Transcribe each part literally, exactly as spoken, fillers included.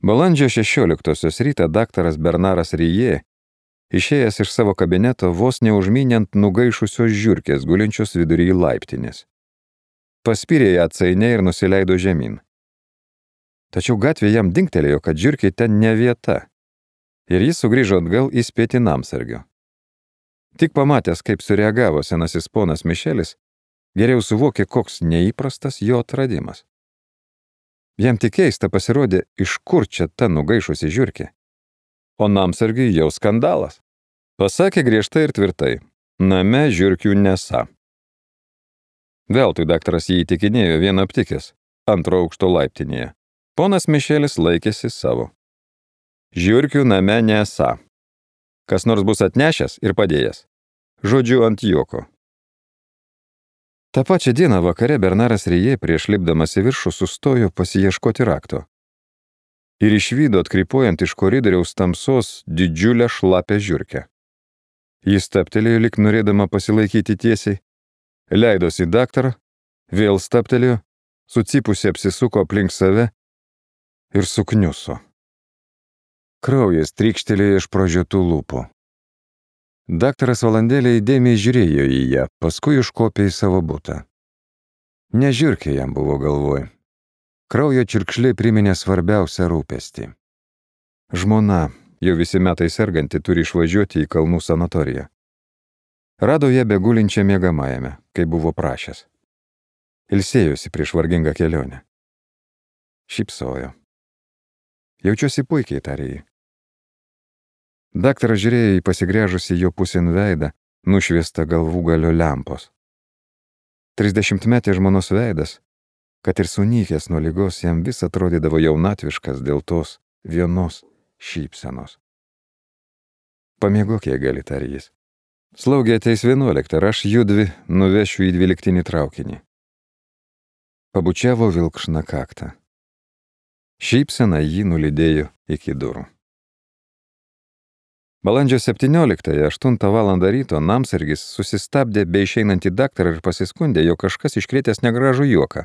Balandžio šešioliktosios rytą daktaras Bernaras Rijė, išėjęs iš savo kabineto, vos neužmynė ant nugaišusios žiurkės, gulinčios vidury laiptinės. Paspyrė ją atsainiai ir nusileido žemyn. Tačiau gatvė jam dingtelėjo, kad žiurkė ten ne vieta, ir jis sugrįžo atgal įspėti namsargio. Tik pamatęs, kaip sureagavo senasis ponas Mišelis, geriau suvokė, koks neįprastas jo atradimas. Jam tik keista pasirodė, iš kur čia ta nugaišusi žiurkė. O namsargiui jau skandalas. Pasakė griežtai ir tvirtai, name žiurkių nesą. Veltui daktaras jį įtikinėjo vieną aptikęs, antro aukšto laiptinėje. Ponas Mišelis laikėsi savo. Žiurkių name nesą. Kas nors bus atnešęs ir padėjęs. Žodžiu ant juoko. Ta pačia diena vakare Bernaras Rijė prieš lipdamas į viršų sustojo pasiieškoti rakto. Ir išvydo atkrypuojant iš koridoriaus tamsos didžiulę šlapę žiurkę. Jis stabtelėjo, lyg norėdama pasilaikyti tiesiai, leidosi į daktarą, vėl stabtelėjo, sucipusi apsisuko aplink save ir sukniuso. Kraujas trykštelėjo iš pražiūtų lūpų. Daktaras valandėlę įdėmiai žiūrėjo į ją, paskui užkopė į savo butą. Ne žiurkė jam buvo galvoj. Kraujo čirkšliai priminė svarbiausią rūpestį. Žmona, jau visi metai serganti, turi išvažiuoti į kalnų sanatoriją. Rado ją begulinčią miegamajame, kaip buvo prašęs. Ilsėjosi prieš vargingą kelionę. Šypsojo. Jaučiuosi puikiai, tarė jį. Daktaras žiūrėjo į pasigręžusį jo pusėn veidą, nušviestą galvų galio lempos. Trisdešimtmetė žmonos veidas, kad ir sunykęs nuo ligos, jam vis atrodydavo jaunatviškas dėl tos vienos šypsenos. Pamiegok, jei gali, tarė jis. Slaugė ateis vienuoliktą, aš judvi nuvešiu į dvyliktinį traukinį. Pabučiavo vilkšną kaktą. Šypsena jį nulydėjo iki durų. Balandžio septynioliktąją, aštuntą valandą ryto, namsargis susistabdė be išeinantį daktarą ir pasiskundė, jog kažkas iškrėtęs negražų juoką.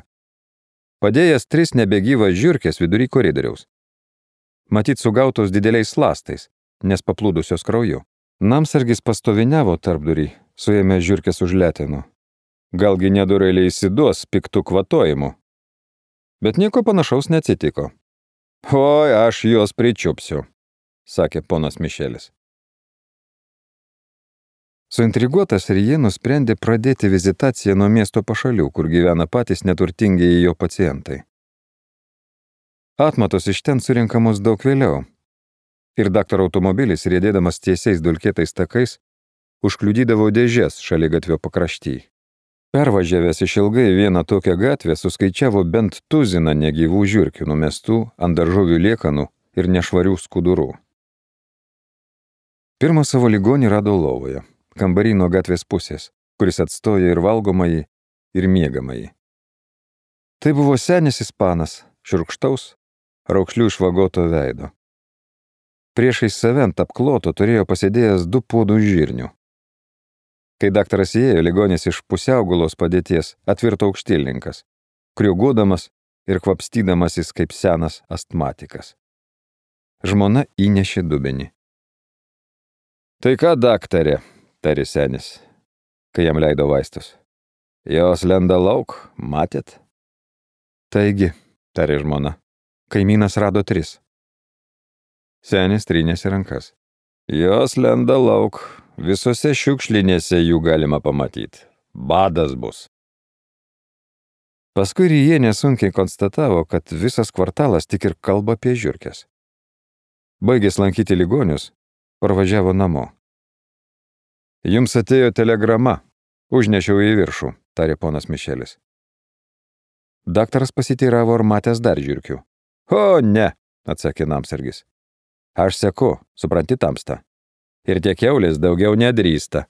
Padėjęs tris nebegyvas žiurkės vidury koridoriaus. Matyt, sugautos dideliais lastais, nes paplūdusios krauju. Namsargis pastoviniavo tarpdurį, suėmė žiurkės už letenų. Galgi nedorėliai įsiduos piktų kvatojimu. Bet nieko panašaus neatsitiko. Oi, aš juos pričiupsiu, sakė ponas Mišelis. Suintriguotas Rijė nusprendė pradėti vizitaciją nuo miesto pašalių, kur gyvena patys neturtingieji jo pacientai. Atmatos iš ten surinkamos daug vėliau. Ir daktaro automobilis, riedėdamas tiesiais dulkėtais takais, užkliudydavo dėžes šaligatvio pakrašty. Pervažiavęs išilgai vieną tokią gatvę, suskaičiavo bent tuziną negyvų žiurkių numestų ant daržovių liekanų ir nešvarių skudurų. Pirmą savo ligonį rado lovoje, kambarį nuo gatvės pusės, kuris atstojo ir valgomąjį, ir miegamąjį. Tai buvo senis ispanas, šiurkštaus, raukšlių išvagoto veido. Priešais save ant apkloto turėjo pasėdėjęs du puodų žirnių. Kai daktaras įėjo, ligonis iš pusiaugulos padėties atvirto aukštilinkas, kriuguodamas ir kvapstydamasis kaip senas astmatikas. Žmona įnešė dubenį. Tai ką, daktarė, tarė senis, kai jam leido vaistus. Jos lenda lauk, matėt? Taigi, tarė žmona, kaimynas rado tris. Senis trynėsi rankas. Jos lenda lauk, visose šiukšlinėse jų galima pamatyti. Badas bus. Paskui Rijė nesunkiai konstatavo, kad visas kvartalas tik ir kalba apie žiurkes. Baigęs lankyti ligonius, parvažiavo namo. Jums atėjo telegrama, užnešiau į viršų, tarė ponas Mišelis. Daktaras pasiteiravo, ar matęs dar žiurkių. O, ne, atsakė namsargis. Aš seku, supranti, tamsta. Ir tie kiaulės daugiau nedrįsta.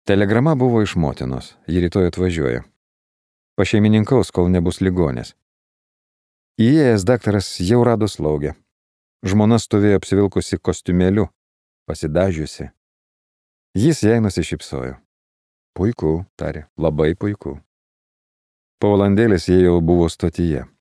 Telegrama buvo iš motinos, ji rytoj atvažiuoja. Pašeimininkaus, kol nebus ligonės. Įėjęs daktaras jau rado slaugę. Žmona stovėjo apsivilkusi kostiumėliu, pasidažiusi. Jis jai nusišypsojo. Puiku, tarė, labai puiku. Po valandėlės jie jau buvo stotyje.